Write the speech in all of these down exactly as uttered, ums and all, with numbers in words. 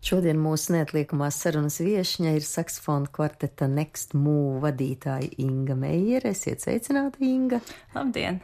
Šodien mūsu neatliekamās sarunas viešņa ir saksofona kvarteta Next Move vadītāja Inga Meijere. Esiet sveicināta, Inga. Labdien!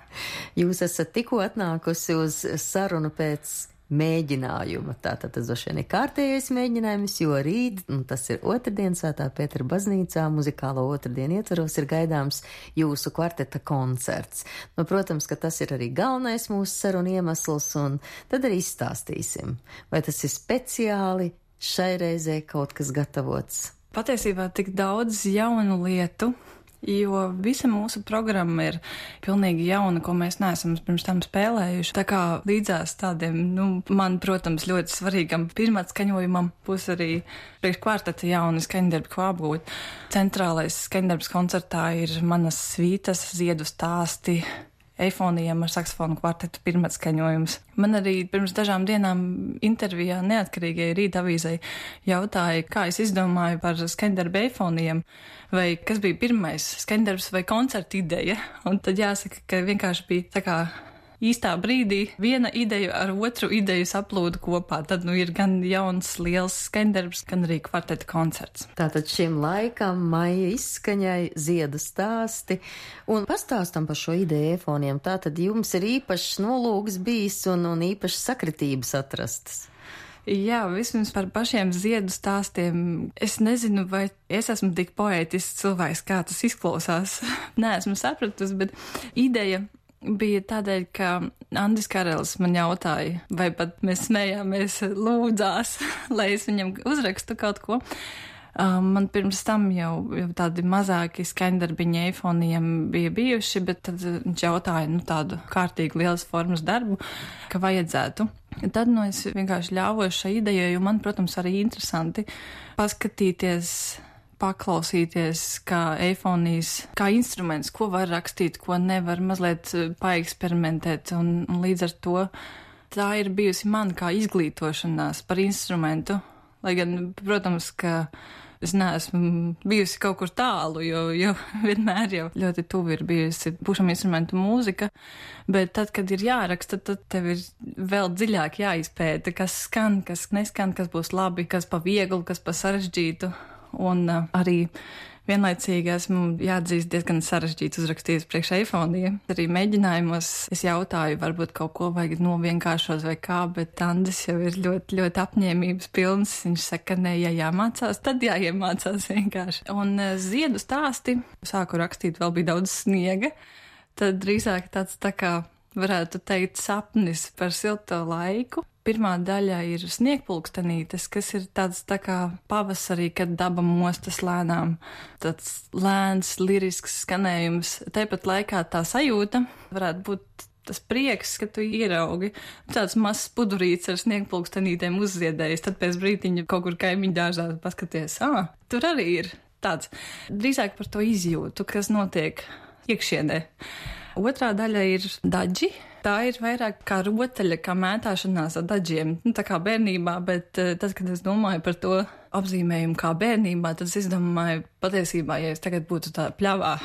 Jūs esat tikko atnākusi uz sarunu pēc mēģinājuma. Tātad tas droši vien ir kārtējais mēģinājums, jo rīt, un tas ir otrdien Svētā Pētera baznīcā, muzikālo otrdienu ietvaros ir gaidāms jūsu kvarteta koncerts. Nu, protams, ka tas ir arī galvenais mūsu sarunu iemesls, un tad arī izstāstīsim, vai tas ir speciāli šai reizē kaut kas gatavots. Patiesībā tik daudz jaunu lietu, jo visa mūsu programma ir pilnīgi jauna, ko mēs neesam pirms tam spēlējuši. Tā kā līdzās tādiem, nu, man, protams, ļoti svarīgam pirmatskaņojumam būs arī priekš kvarteta jauni skaņdarbi, ko apgūt. Centrālais skaņdarbs koncertā ir manas svītas, ziedu stāsti, eifonijam ar saksofonu kvartetu pirmatskaņojums. Man arī pirms dažām dienām intervijā neatkarīgai Rīta avīzei jautāja, kā es izdomāju par skaņdarbu eifonijam, vai kas bija pirmais skaņdarbs vai koncerta ideja. Un tad jāsaka, ka vienkārši bija tā kā īstā brīdī viena ideja ar otru ideju saplūda kopā. Tad nu ir gan jauns, liels skaņdarbs, gan arī kvarteta koncerts. Tātad šim laikam, maija izskaņai, ziedu stāsti. Un pastāstam par šo ideju eifoniem. Tātad jums ir īpašs nolūks bijis un, un īpašas sakritības atrastas. Jā, vismaz par pašiem ziedu stāstiem. Es nezinu, vai es esmu tik poētisks cilvēks, kā tas izklausās. Nē, esmu sapratusi, bet ideja bija tādēļ, ka Andris Karelis man jautāja, vai pat mēs smējāmies, lūdzās, lai es viņam uzrakstu kaut ko. Um, man pirms tam jau, jau tādi mazāki skaņdarbiņi eifoniem bija bijuši, bet tad viņš jautāja, nu, tādu kārtīgu lielas formas darbu, ka vajadzētu. Tad, nu, es vienkārši ļāvos šai idejai, jo man, protams, arī interesanti paskatīties, paklausīties, kā eifonijas, kā instruments, ko var rakstīt, ko nevar, mazliet paeksperimentēt, un, un līdz ar to tā ir bijusi man kā izglītošanās par instrumentu, lai gan, protams, ka es neesmu bijusi kaut kur tālu, jo, jo vienmēr jau ļoti tuvi ir bijusi pušam instrumentu mūzika, bet tad, kad ir jāraksta, tad tev ir vēl dziļāk jāizpēta, kas skan, kas neskan, kas būs labi, kas pa vieglu, kas pa sarežģītu. Un uh, arī vienlaicīgi esmu jāatzīst diezgan sarežģīts uzrakstījis priekš eifoniem. Arī mēģinājumos es jautāju, varbūt kaut ko vajag novienkāršos vai kā, bet Andris jau ir ļoti, ļoti apņēmības pilns. Viņš saka, ne, ja jāmācās, tad jāiemācās vienkārši. Un uh, ziedu stāsti, sāku rakstīt, vēl bija daudz sniega, tad drīzāk tāds tā kā varētu teikt sapnis par silto laiku. Pirmā daļa ir sniegpulkstenītes, kas ir tāds tā kā pavasarī, kad daba mostas lēnām. Tāds lēns, lirisks skanējums. Tāpat laikā tā sajūta varētu būt tas prieks, ka tu ieraugi tāds mazs pudurīts ar sniegpulkstenītēm uzziedējis. Tad pēc brītiņa kaut kur kaimiņu dārzā paskaties, ā, tur arī ir tāds. Drīzāk par to izjūtu, kas notiek iekšienē. Otrā daļa ir daģi. Tā ir vairāk kā rotaļa, kā mētāšanās ar daģiem. Nu, tā kā bērnībā, bet tad, kad es domāju par to apzīmējumu kā bērnībā, tad es izdomāju patiesībā, ja es tagad būtu tā pļavā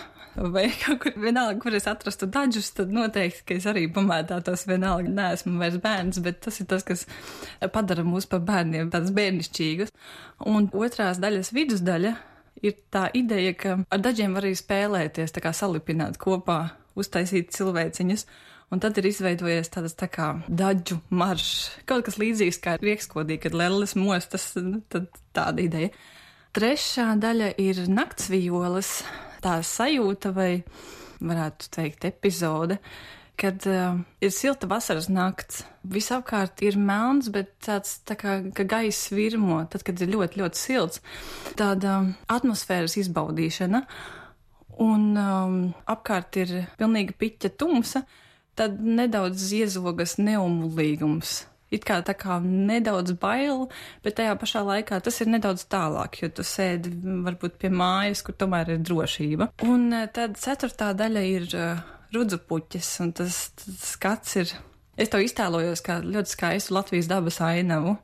vai kaut kur vienalga, kur es atrastu daģus, tad noteikti, ka es arī pamētātos vienalga. Neesmu vairs bērns, bet tas ir tas, kas padara mūs par bērniem tādus bērnišķīgus. Un otrās daļas vidusdaļa ir tā ideja, ka ar daģiem var arī spēlēties, tā kā salipināt kopā, uztaisīt cilvēciņas. Un tad ir izveidojies tādas tā kā daģu maršs, kaut kas līdzīgs kā Riekskodī, kad lelles mostas, tad tāda ideja. Trešā daļa ir naktsvijoles, tā sajūta vai varētu teikt epizode, kad uh, ir silta vasaras nakts. Visapkārt ir melns, bet tāds tā kā ka gaiss virmo, tad, kad ir ļoti, ļoti silts. Tāda atmosfēras izbaudīšana, un um, apkārt ir pilnīgi piķa tumsa, tad nedaudz iezogas neumulīgums. It kā tā kā nedaudz bail, bet tajā pašā laikā tas ir nedaudz tālāk, jo tu sēdi varbūt pie mājas, kur tomēr ir drošība. Un tad ceturtā daļa ir uh, rudzupuķis, un tas, tas skats ir, es to iztēlojos kā ļoti skaistu Latvijas dabas ainavu,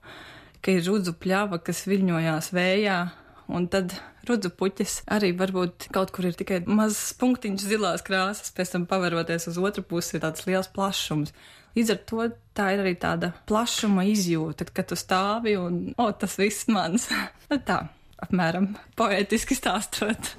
ka ir rudzu pļava, kas viļņojās vējā, un tad rudzu puķis arī varbūt kaut kur ir tikai mazs punktiņš zilās krāsas, pēc tam paveroties uz otru pusi ir tāds liels plašums. Līdz ar to tā ir arī tāda plašuma izjūta, kad tu stāvi un, o, tas viss mans. Tā, apmēram, poētiski stāstot.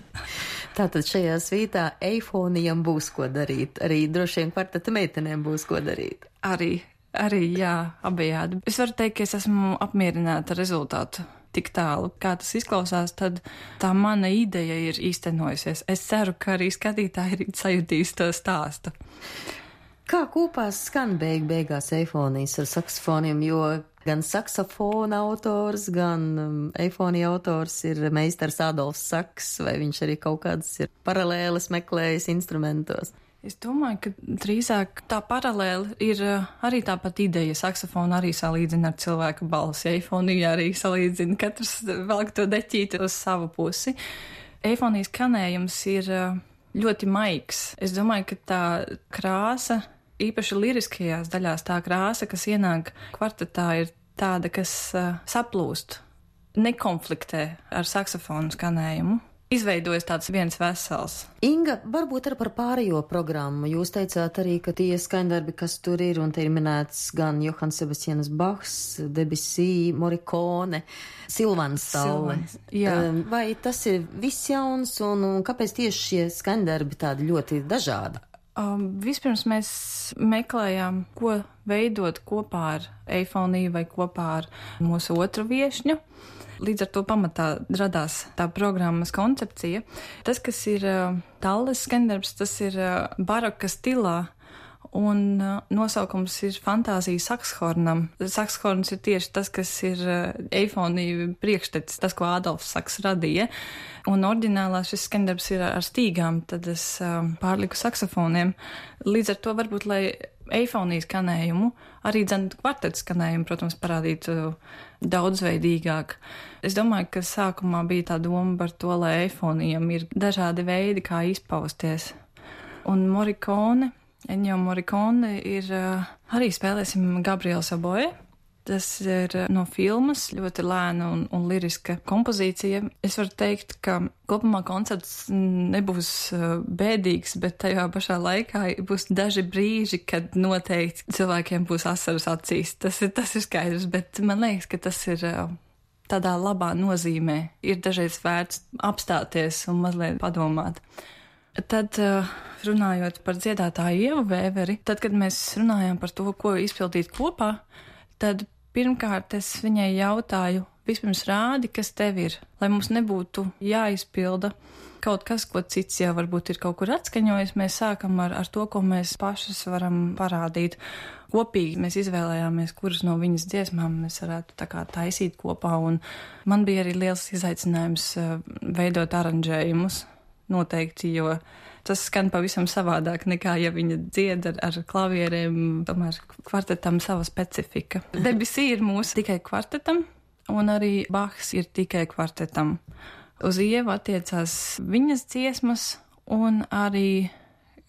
Tātad šajā svītā eifonijam būs ko darīt, arī droši vien kvarteta meitenēm būs ko darīt. Arī, arī, jā, abejādi. Es varu teikt, ka es esmu apmierināta ar rezultātu. Tik tālu, kā tas izklausās, tad tā mana ideja ir īstenojusies. Es ceru, ka arī skatītāji ir sajutījis to stāstu. Kā kopā skan beig beigās eifonijas ar saksofoniem, jo gan saksofona autors, gan um, eifonija autors ir meistars Adolfs Saks, vai viņš arī kaut kādas ir paralēles meklējis instrumentos? Es domāju, ka drīzāk tā paralēli ir arī tāpat ideja. Saksofonu arī salīdzina ar cilvēku balsi, eifonija arī salīdzina, katrs velk to deķīti uz savu pusi. Eifonijas skanējums ir ļoti maigs. Es domāju, ka tā krāsa, īpaši liriskajās daļās, tā krāsa, kas ienāk kvartetā, ir tāda, kas uh, saplūst, nekonfliktē ar saksofonu skanējumu. Izveidojas tāds viens vesels. Inga, varbūt arī par pārējo programmu. Jūs teicāt arī, ka tie skaņdarbi, kas tur ir, un te ir minēts gan Johans Sebastians Bachs, Debussy, Morricone, Silvans Stalle. Vai tas ir viss jauns, un, un kāpēc tieši šie skaņdarbi tādi ļoti dažādi? Um, vispirms mēs meklējām, ko veidot kopā ar eifoniju vai kopā ar mūsu otru viešņu. Līdz ar to pamatā radās tā programmas koncepcija. Tas, kas ir uh, Talles skaņdarbs, tas ir uh, baroka stilā, un uh, nosaukums ir Fantāzija sakshornam. Sakshorns ir tieši tas, kas ir uh, eifonija priekštecis, tas, ko Adolfs Saks radīja. Un oriģinālā šis skaņdarbs ir ar stīgām, tad es uh, pārliku saksofoniem. Līdz ar to varbūt, lai eifonijas skanējumu, arī dzen kvartetu skanējumu, protams, parādītu daudzveidīgāk. Es domāju, ka sākumā bija tā doma par to, lai eifonijam ir dažādi veidi, kā izpausties. Un Morricone, Ennio Morricone ir uh, arī spēlēsim Gabriels Oboe. Tas ir no filmas, ļoti lēna un, un liriska kompozīcija. Es varu teikt, ka kopumā koncerts nebūs bēdīgs, bet tajā pašā laikā būs daži brīži, kad noteikti cilvēkiem būs asaras acīs. Tas ir, tas ir skaidrs, bet man liekas, ka tas ir tādā labā nozīmē. Ir dažreiz vērts apstāties un mazliet padomāt. Tad, runājot par dziedātāju Ievu Vēveri, tad, kad mēs runājām par to, ko izpildīt kopā, tad pirmkārt es viņai jautāju, vispirms rādi, kas tev ir, lai mums nebūtu jāizpilda kaut kas, ko cits jau varbūt ir kaut kur atskaņojis. Mēs sākam ar, ar to, ko mēs pašas varam parādīt. Kopīgi mēs izvēlējāmies, kuras no viņas dziesmām mēs varētu tā kā taisīt kopā, un man bija arī liels izaicinājums veidot aranžējumus noteikti, jo tas skan pavisam savādāk nekā, ja viņa dzied ar, ar klavierēm, tomēr kvartetam sava specifika. Debussy ir mūsu tikai kvartetam, un arī Bachs ir tikai kvartetam. Uz Ievu attiecās viņas dziesmas, un arī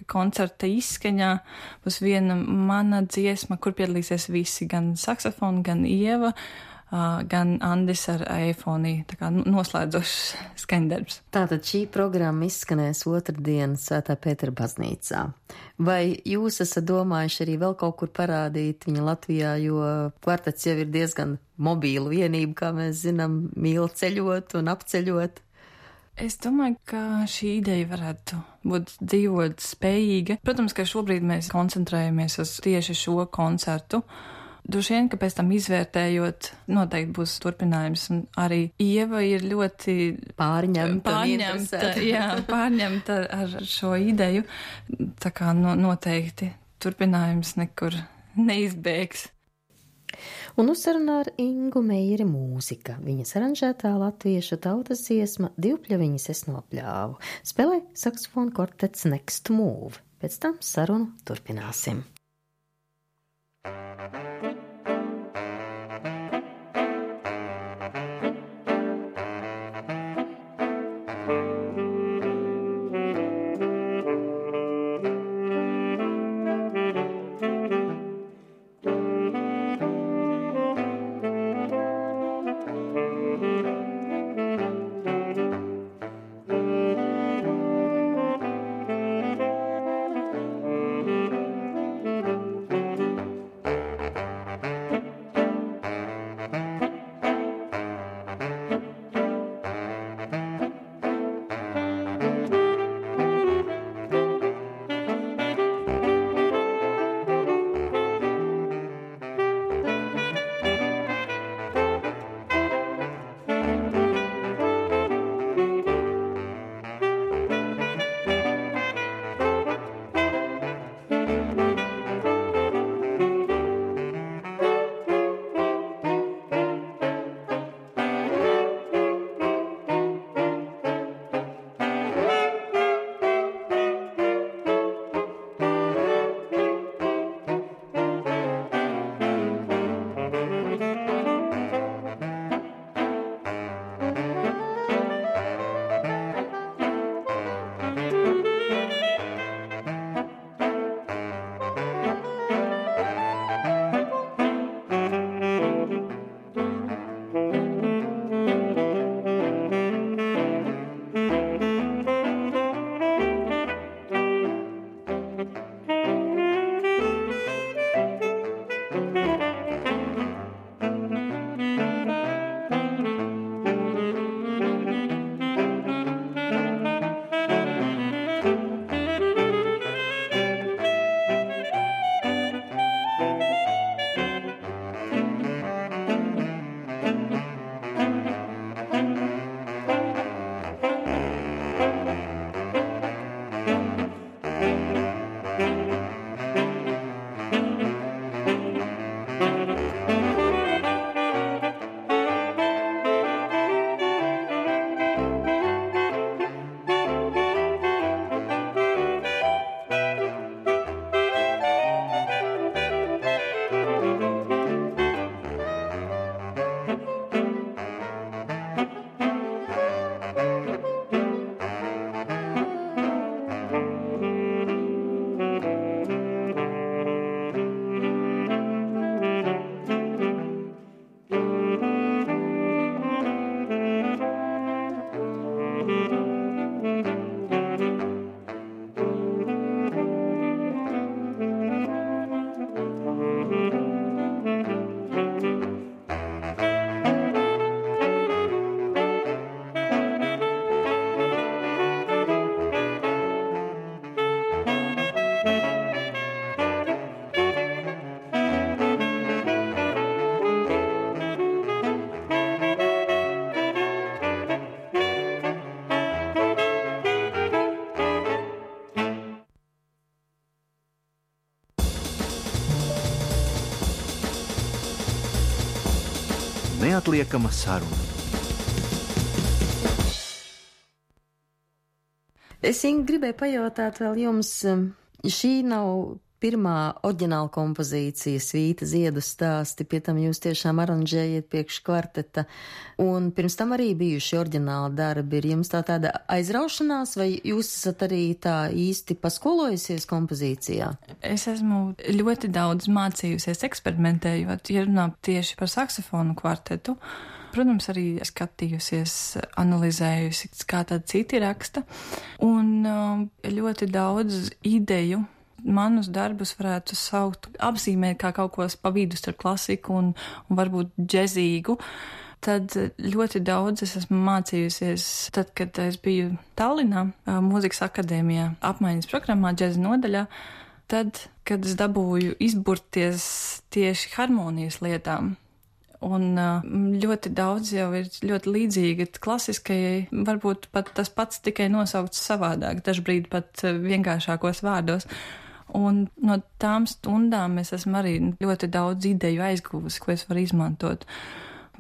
koncerta izskaņā būs viena mana dziesma, kur piedalīsies visi, gan saksofoni, gan Ieva, Uh, gan Andis ar eifoniju, tā kā noslēdzošs skaņdarbs. Tātad šī programma izskanēs otrdien Svētā Pētera baznīcā. Vai jūs esat domājuši arī vēl kaut kur parādīt viņu Latvijā, jo kvartets jau ir diezgan mobīla vienība, kā mēs zinām, mīl ceļot un apceļot? Es domāju, ka šī ideja varētu būt dzīvot spējīga. Protams, ka šobrīd mēs koncentrējamies uz tieši šo koncertu. Droši vien, ka pēc tam izvērtējot, noteikti būs turpinājums, un arī Ieva ir ļoti pārņemta, pārņemta, jā, pārņemta ar šo ideju, tā kā no, noteikti turpinājums nekur neizbēgs. Un uzsarunā ar Ingu Meijeri mūzika, viņas aranžētā latviešu tautas dziesma Divpļaviņas es nopļāvu, spēlē saksofonu kvartets Next Move. Pēc tam sarunu turpināsim. neatliekama saruna. Es gribēju pajautāt vēl jums, šī nav pirmā oriģināla kompozīcija, Svīta ziedu stāsti, pie tam jūs tiešām aranžējat priekš kvarteta, un pirms tam arī bijuši oriģināli darbi. Ir jums tā tāda aizraušanās, vai jūs esat arī tā īsti paskolojusies kompozīcijā? Es esmu ļoti daudz mācījusies eksperimentējot, ja runā tieši par saksofonu kvartetu. Protams, arī skatījusies, analizējusi, kā tad citi raksta, un ļoti daudz ideju manus darbus varētu saukt, apzīmēt kā kaut ko pa vidu starp klasiku un, un varbūt džezīgu. Tad ļoti daudz es esmu mācījusies, tad, kad es biju Tallinā, mūzikas akadēmijā, apmaiņas programmā, džeza nodaļā, tad, kad es dabūju izburties tieši harmonijas lietām. Un ļoti daudz jau ir ļoti līdzīga klasiskajai, varbūt pat tas pats tikai nosaukts savādāk, dažbrīd pat vienkāršākos vārdos. Un no tām stundām es esmu arī ļoti daudz ideju aizguvusi, ko es varu izmantot.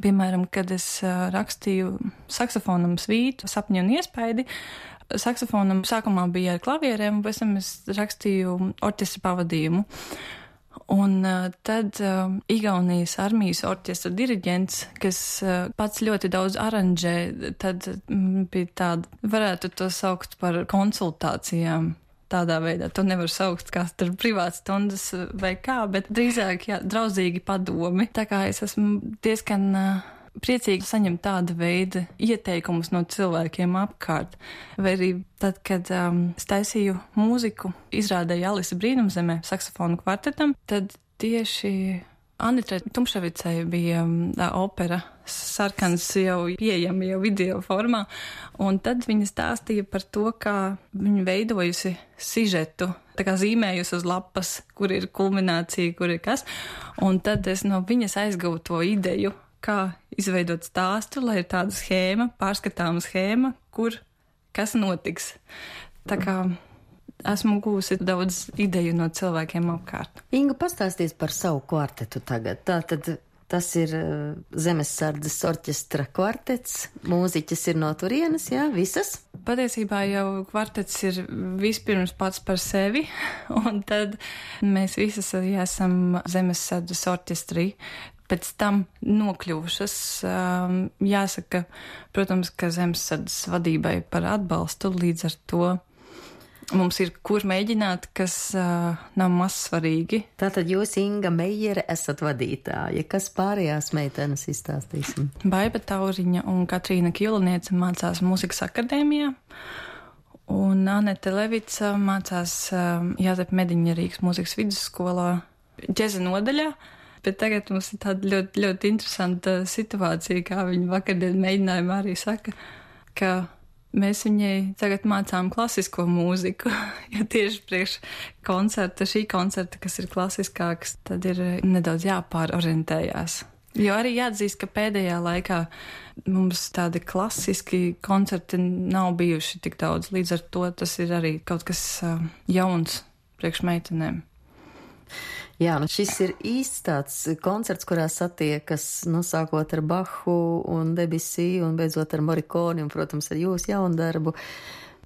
Piemēram, kad es rakstīju saksofonam svītu, sapņu un iespaidi, saksofonam sākumā bija ar klavierēm, un pēc tam es rakstīju orķestra pavadījumu. Un uh, tad uh, Igaunijas armijas orķestra diriģents, kas uh, pats ļoti daudz aranžē, tad mm, bija tāda, varētu to saukt par konsultācijām. Tādā veidā to nevar saukt kā tur privāts stundas vai kā, bet drīzāk, jā, draudzīgi padomi. Tā kā es esmu diezgan uh, priecīgi saņemt tāda veida ieteikumus no cilvēkiem apkārt. Vai arī tad, kad um, es taisīju mūziku, izrādēju Alisa brīnumzemē saksofonu kvartetam, tad tieši Anitrai Tumševicai bija um, opera Sarkans jau pieejama jau video formā, un tad viņa stāstīja par to, kā viņa veidojusi sižetu, tā kā zīmējusi uz lapas, kur ir kulminācija, kur ir kas, un tad es no viņas aizguvu to ideju, kā izveidot stāstu, lai ir tāda schēma, pārskatāma schēma, kur kas notiks. Tā kā esmu gūsi daudz ideju no cilvēkiem apkārt. Inga, pastāsties par savu kvartetu tagad. Tātad tas ir Zemessardzes orķestra kvartets, mūziķis ir no turienes, jā, visas? Patiesībā jau kvartets ir vispirms pats par sevi, un tad mēs visas arī esam Zemessardzes orķestrī. Pēc tam nokļuvušas, jāsaka, protams, ka Zemessardzes vadībai par atbalstu, līdz ar to mums ir kur mēģināt, kas nav maz svarīgi. Tātad jūs, Inga Meijere, esat vadītāja. Kas pārējās meitenes izstāstīsim? Baiba Tauriņa un Katrīna Kilniece mācās mūzikas akadēmijā, un Anete Levica mācās Jāzepa Mediņa Rīgas mūzikas vidusskolā džeza nodaļā. Bet tagad mums ir tāda ļoti, ļoti interesanta situācija, kā viņa vakardien mēģinājumā arī saka, ka mēs viņai tagad mācām klasisko mūziku, jo tieši priekš koncerta, šī koncerta, kas ir klasiskāks, tad ir nedaudz jāpārorientējās. Jo arī jāatzīst, ka pēdējā laikā mums tādi klasiski koncerti nav bijuši tik daudz, līdz ar to tas ir arī kaut kas jauns priekš meitenēm. Jā, nu šis ir īsts tāds koncerts, kurā satiekas, nu, sākot ar Bahu un Debussy un beidzot ar Morriconi un, protams, ar jūsu jaundarbu.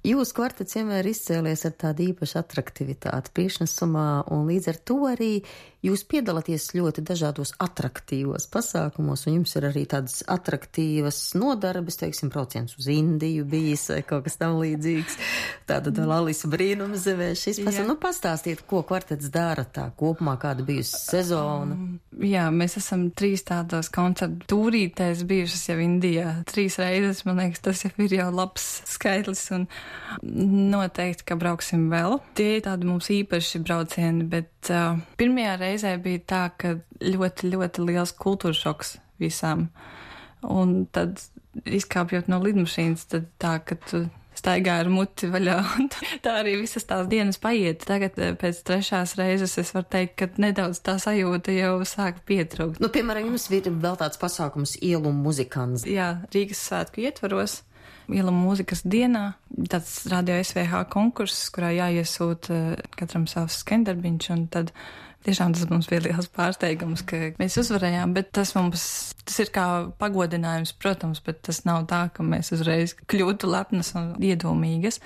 Jūsu kvartets vienmēr izcēlies ar tādu īpašu atraktivitāti priekšnesumā, un līdz ar to arī jūs piedalāties ļoti dažādos atraktīvos pasākumos, un jums ir arī tādas atraktīvas nodarbes, teiksim, brauciens uz Indiju bijis vai kaut kas tam līdzīgs. Tātad vēl Alisa brīnumzemē šis pasākums. Nu, pastāstiet, ko kvartets dara tā kopumā, kāda bijusi sezona. Um, jā, mēs esam trīs tādos koncertu tūrītēs bijušas jau Indijā. Trīs reizes, man liekas, tas jau ir jau labs skaitlis, un noteikti, ka brauksim vēl. Tie ir tādi mums īpaši braucieni, bet uh, pirmajā reizē bija tā, ka ļoti, ļoti liels kultūra šoks visām. Un tad, izkāpjot no lidmašīnas, tad tā, ka tu staigā ar muti vaļā, un tā arī visas tās dienas paiet. Tagad pēc trešās reizes es varu teikt, ka nedaudz tā sajūta jau sāk pietrūkt. Nu, piemēram, jums ir vēl tāds pasākums Ielu muzikants. Jā, Rīgas svētku ietvaros. Iela mūzikas dienā, tāds radio S V H konkurss, kurā jāiesūta katram savs skendarbiņš, un tad Tiešām tas mums bija liels pārsteigums, ka mēs uzvarējām, bet tas mums, tas ir kā pagodinājums, protams, bet tas nav tā, ka mēs uzreiz kļūtu lepnas un iedomīgas.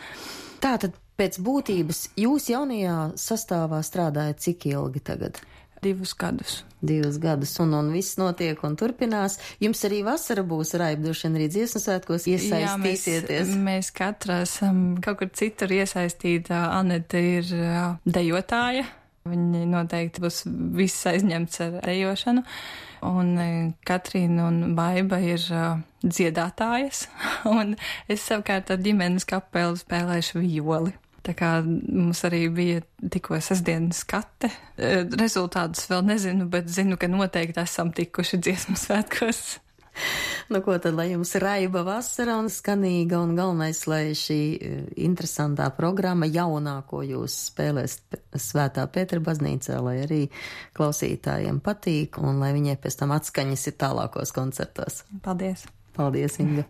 Tātad pēc būtības jūs jaunajā sastāvā strādājat cik ilgi tagad? Divus gadus. Divus gadus, un, un viss notiek un turpinās. Jums arī vasara būs raibdoši, arī dziesmu svētkos iesaistīsieties. Jā, mēs, mēs katra esam kaut kur citur iesaistīta. Aneta ir dejotāja. Viņa noteikti būs viss aizņemts ar dejošanu. Un Katrīna un Baiba ir dziedātājas. Un es savukārt ar ģimenes kapelu spēlēšu violi. Tā kā mums arī bija tikko sestdienas skate. Rezultātus vēl nezinu, bet zinu, ka noteikti esam tikuši dziesmu svētkos. Nu, ko tad, lai jums raiba vasara un skanīga, un galvenais, lai šī interesantā programma jaunā, ko jūs spēlēs Svētā Pētera baznīcā, lai arī klausītājiem patīk, un lai viņai pēc tam atskaņas ir tālākos koncertos. Paldies! Paldies, Inga!